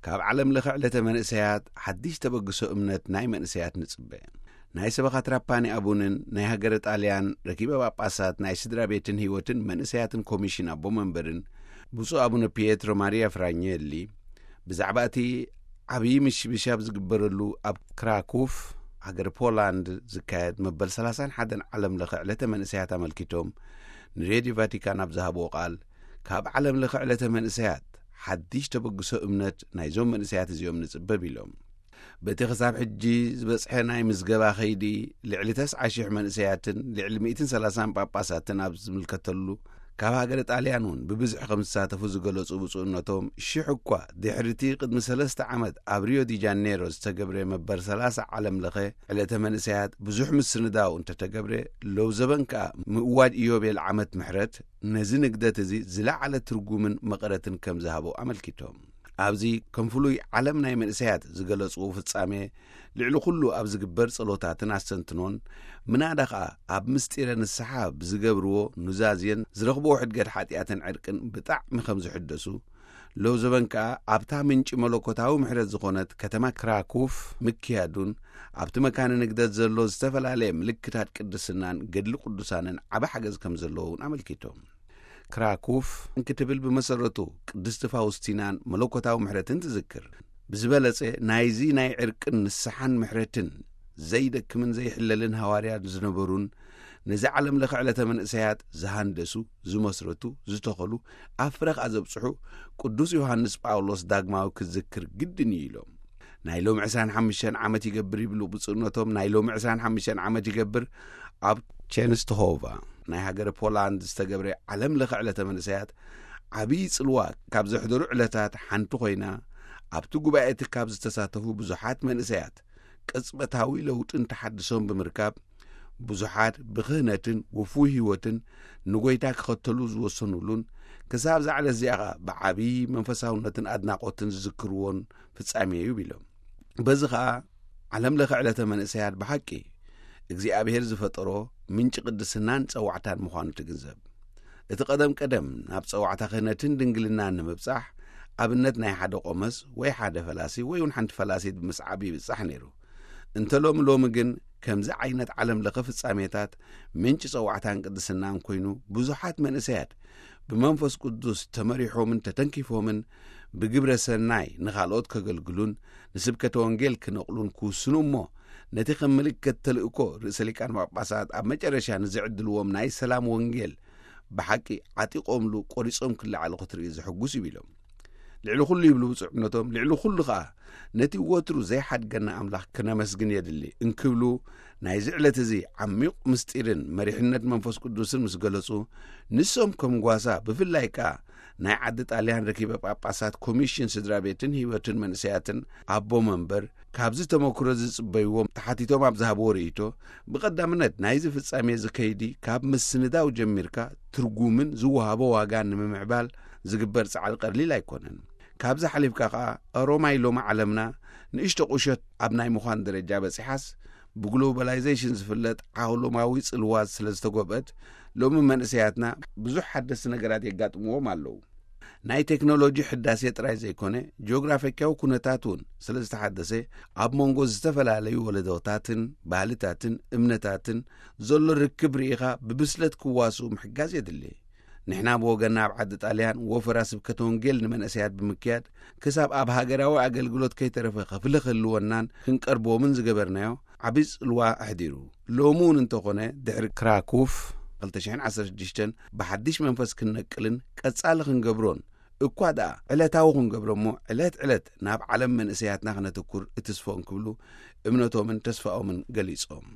ካብ ዓለም ለኸ ዕለተ መንእሰያት ሓድሽ ተበግሶ እምነት ናይ መንእሰያት ንጽበ። ናይ ሰበኻ ትራፓኒ ኣቡንን ናይ ሃገረ ጣልያን ረኪበ ጳጳሳት ናይ ስድራ ቤትን ህይወትን መንእሰያትን ኮሚሽን ኣቦ መንበርን ብፁዕ ኣቡነ ፒየትሮ ማሪያ ፍራኘሊ ብዛዕባ እቲ ዓብዪ ምሽብሻብ ዝግበረሉ ኣብ ክራኩፍ ሃገር ፖላንድ ዝካየድ መበል ሰላሳን ሓደን ዓለም ለኸ ዕለተ መንእሰያት ኣመልኪቶም ንሬድዮ ቫቲካን ኣብ ዝሃብዎ ቃል፣ ካብ ዓለም ለኸ ዕለተ መንእሰያት ሓድሽ ተበግሶ እምነት ናይዞም መንእሰያት እዚኦም ንጽበብ ኢሎም። በቲ ክሳብ ሕጂ ዝበጽሐ ናይ ምዝገባ ኸይዲ፣ ልዕሊ ተስዓ ሽሕ መንእሰያትን ልዕሊ ሚእትን ሰላሳን ጳጳሳትን ኣብ ዝምልከተሉ፣ ካብ ሃገረ ጣልያን እውን ብብዝሒ ከም ዝሳተፉ ዝገለጹ ብፁዕነቶም፣ ሽሕ እኳ ድሕሪቲ ቅድሚ ሰለስተ ዓመት ኣብ ሪዮ ዲ ጃኔሮ ዝተገብረ መበር ሰላሳ ዓለም ለኸ ዕለተ መንእሰያት ብዙሕ ምስንዳው እንተተገብረ፣ ሎው ዘበን ከኣ ምእዋጅ ኢዮቤል ዓመት ምሕረት ነዚ ንግደት እዚ ዝለዓለ ትርጉምን መቐረትን ከም ዝሃቦ ኣመልኪቶም። ኣብዚ ከም ፍሉይ ዓለም ናይ መንእሰያት ዝገለጽዎ ፍጻሜ፣ ልዕሊ ኩሉ ኣብ ዝግበር ጸሎታትን ኣስተንትኖን፣ ምናዳ ኸኣ ኣብ ምስጢረ ንስሓ ብዝገብርዎ ኑዛዜን ዝረኽብዎ ሕድገት ሓጢኣትን ዕርቅን ብጣዕሚ ከም ዝሕደሱ፣ ሎው ዘበን ከኣ ኣብታ ምንጪ መለኮታዊ ምሕረት ዝኾነት ከተማ ክራኩፍ ምክያዱን፣ ኣብቲ መካነ ንግደት ዘሎ ዝተፈላለየ ምልክታት ቅድስናን ገድሊ ቅዱሳንን ዓቢ ሓገዝ ከም ዘለዎ እውን ኣመልኪቶም። ክራኩፍ እንክትብል ብመሰረቱ ቅድስቲ ፋውስቲናን መለኮታዊ ምሕረትን ትዝክር። ብዝበለጸ ናይዚ ናይ ዕርቅን ንስሓን ምሕረትን ዘይደክምን ዘይሕለልን ሃዋርያ ዝነበሩን ነዚ ዓለም ለኸ ዕለተ መንእሰያት ዝሃንደሱ፣ ዝመስረቱ፣ ዝተኸሉ፣ ኣብ ፍረ ከኣ ዘብጽሑ ቅዱስ ዮሃንስ ጳውሎስ ዳግማዊ ክዝክር ግድን እዩ ኢሎም። ናይ ሎም ዕስራን ሓሙሽተን ዓመት ይገብር ይብሉ ብፁዕነቶም፣ ናይ ሎም ዕስራን ሓሙሽተን ዓመት ይገብር ኣብ ቼንስትሆቫ ናይ ሃገረ ፖላንድ ዝተገብረ ዓለም ለኸ ዕለተ መንእሰያት ዓብዪ ጽልዋ ካብ ዘሕደሩ ዕለታት ሓንቲ ኮይና፣ ኣብቲ ጉባኤ እቲ ካብ ዝተሳተፉ ብዙሓት መንእሰያት ቅጽበታዊ ለውጥን ተሓድሶን ብምርካብ፣ ብዙሓት ብክህነትን ውፉይ ህይወትን ንጎይታ ክኸተሉ ዝወሰኑሉን፣ ክሳብ እዛ ዕለት እዚኣ ኸኣ ብዓብዪ መንፈሳውነትን ኣድናቖትን ዝዝክርዎን ፍጻሜ እዩ ኢሎም። በዚ ኸኣ ዓለም ለኸ ዕለተ መንእሰያት ብሓቂ እግዚኣብሔር ዝፈጠሮ ምንጪ ቅድስናን ጸዋዕታን ምዃኑ ትግንዘብ። እቲ ቀደም ቀደም ናብ ጸዋዕታ ክህነትን ድንግልናን ንምብጻሕ ኣብነት ናይ ሓደ ቆመስ ወይ ሓደ ፈላሲ ወይ እውን ሓንቲ ፈላሲት ብምስዓብ ይብጻሕ ነይሩ። እንተ ሎሚ ሎሚ ግን ከምዚ ዓይነት ዓለም ለኸ ፍጻሜታት ምንጪ ጸዋዕታን ቅድስናን ኮይኑ ብዙሓት መንእሰያት ብመንፈስ ቅዱስ ተመሪሖምን ተተንኪፎምን ብግብረ ሰናይ ንኻልኦት ከገልግሉን ንስብከተ ወንጌል ክነቕሉን ክውስኑ እሞ ነቲ ከም ምልክት ተልእኮ ርእሰ ሊቃን ጳጳሳት ኣብ መጨረሻ ንዝዕድልዎም ናይ ሰላም ወንጌል ብሓቂ ዓጢቖምሉ ቆሪጾም ክለዓሉ ክትርኢ ዘሐጉስ እዩ ኢሎም። ልዕሊ ኩሉ ይብሉ ብፁዕነቶም፣ ልዕሊ ኩሉ ኸኣ ነቲ ወትሩ ዘይሓድገና ኣምላኽ ክነመስግን የድሊ እንክብሉ ናይዚ ዕለት እዚ ዓሚቕ ምስጢርን መሪሕነት መንፈስ ቅዱስን ምስ ገለጹ፣ ንሶም ከም ጓሳ ብፍላይ ከኣ ናይ ዓዲ ጣልያን ረኪበ ጳጳሳት ኮሚሽን ስድራ ቤትን ህይወትን መንእሰያትን ኣቦ መንበር ካብዚ ተመክሮ ዝጽበይዎም ተሓቲቶም ኣብ ዝሃብዎ ርእይቶ፣ ብቐዳምነት ናይዚ ፍጻሜ እዚ ከይዲ ካብ ምስንዳው ጀሚርካ ትርጉምን ዝወሃቦ ዋጋን ንምምዕባል ዝግበር ጻዕሪ ቀሊል ኣይኮነን። ካብዚ ሓሊፍካ ከኣ ሮማይ ሎሚ ዓለምና ንእሽቶ ቁሸት ኣብ ናይ ምዃን ደረጃ በጺሓስ ብግሎባላይዜሽን ዝፍለጥ ዓለማዊ ጽልዋ ስለ ዝተጎብአት ሎሚ መንእሰያትና ብዙሕ ሓደስቲ ነገራት የጋጥምዎም ኣለዉ። ናይ ቴክኖሎጂ ሕዳሴ ጥራይ ዘይኮነ ጂኦግራፊካዊ ኩነታት እውን ስለ ዝተሓደሰ ኣብ መንጎ ዝተፈላለዩ ወለዶታትን ባህልታትን እምነታትን ዘሎ ርክብ ርኢኻ ብብስለት ክዋስኡ ምሕጋዝ የድሊ። ንሕና ብወገንና ኣብ ዓዲ ጣልያን ወፈራ ስብከተ ወንጌል ንመንእሰያት ብምክያድ ክሳብ ኣብ ሃገራዊ ኣገልግሎት ከይተረፈ ክፍሊ ክህልወናን ክንቀርብዎምን ዝገበርናዮ ዓቢ ጽልዋ ኣሕዲሩ። ሎሚ እውን እንተኾነ ድሕሪ ክራኩፍ ክልተ ሽሕን ዓሰርተ ሽዱሽተን ብሓድሽ መንፈስ ክንነቅልን ቀጻሊ ክንገብሮን እኳ ደኣ ዕለታዊ ክንገብሮ እሞ ዕለት ዕለት ናብ ዓለም መንእሰያትና ክነተኩር እትስፎ እንክብሉ እምነቶምን ተስፋኦምን ገሊጾም።